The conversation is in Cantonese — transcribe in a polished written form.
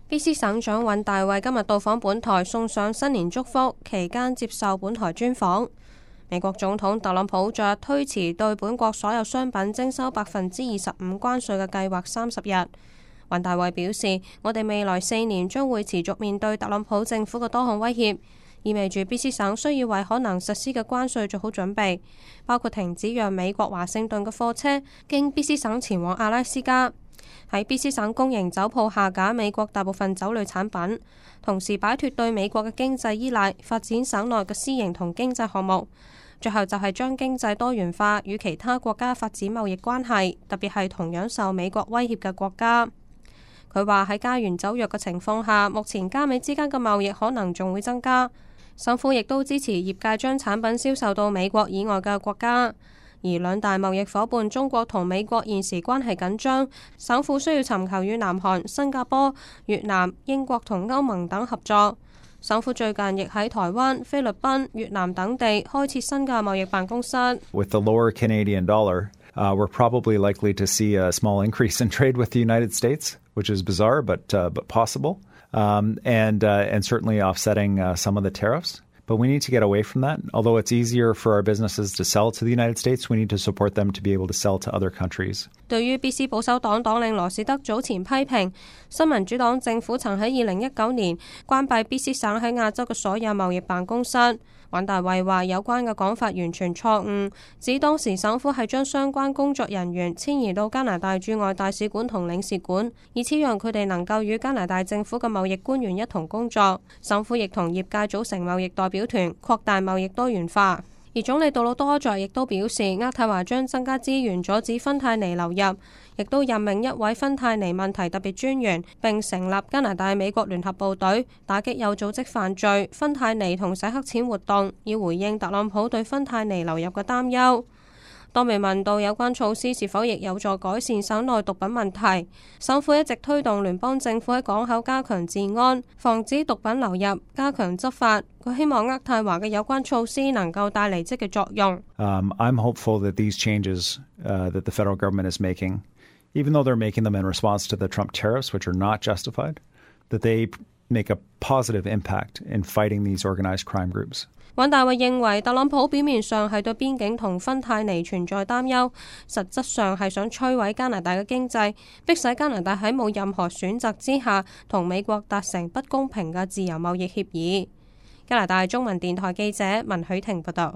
BC 省長尹大衛今日到訪本台，送上新年祝福，期間接受本台專訪。美國總統特朗普昨日推遲對本國所有商品徵收25%關稅嘅計劃30日。尹大衛表示，我哋未來4年將會持續面對特朗普政府嘅多項威脅，意味住 BC 省需要為可能實施嘅關稅做好準備，包括停止讓美國華盛頓嘅貨車經 BC 省前往阿拉斯加。喺 BC 省公營酒鋪下架美國大部分酒類產品，同時擺脫對美國嘅經濟依賴，發展省內嘅私營同經濟項目。最後就係將經濟多元化，與其他國家發展貿易關係，特別係同樣受美國威脅嘅國家。佢話喺加完酒藥嘅情況下，目前加美之間嘅貿易可能仲會增加。省府亦都支持業界將產品銷售到美國以外嘅國家。而兩大貿易夥伴中國同美國現時關係緊張，省府需要尋求與南韓、新加坡、越南、英國同歐盟等合作。省府最近亦喺台灣、菲律賓、越南等地開設新嘅貿易辦公室。With the lower Canadian dollar, we're probably likely to see a small increase in trade with the United States, which is bizarre but possible, and certainly offsetting some of the tariffs. But we need to get away from that. Although it's easier for our businesses to sell to the United States, we need to support them to be able to sell to other countries. 對於 BC 保守黨黨領羅士德早前批評新民主黨政府曾喺2019年關閉 BC 省喺亞洲嘅所有貿易辦公室，尹大衛話有關嘅講法完全錯誤，指當時省府係將相關工作人員遷移到加拿大駐外大使館同領事館，以此讓佢哋能夠與加拿大政府嘅貿易官員一同工作。省府亦同業界組成貿易代表團，擴大貿易多元化。而總理杜魯多在亦都表示，渥太華將增加資源阻止芬太尼流入，亦都任命一位芬太尼問題特別專員，並成立加拿大美國聯合部隊，打擊有組織犯罪、芬太尼同洗黑錢活動，以回應特朗普對芬太尼流入嘅擔憂。當被問到有關措施是否亦有助改善省內毒品問題，省府一直推動聯邦政府喺港口加強治安，防止毒品流入，加強執法。佢希望渥太華嘅有關措施能夠帶嚟積極作用。I'm hopeful that these changes that the federal government is making, even though they're making them in response to the Trump tariffs, which are not justified, that they make a positive impact in fighting these organized crime groups. 尹大衛認為特朗普表面上係對邊境同芬太尼存在擔憂，實質上係想摧毀加拿大嘅經濟，迫使加拿大喺冇任何選擇之下同美國達成不公平嘅自由貿易協議。加拿大中文電台記者文許婷報道。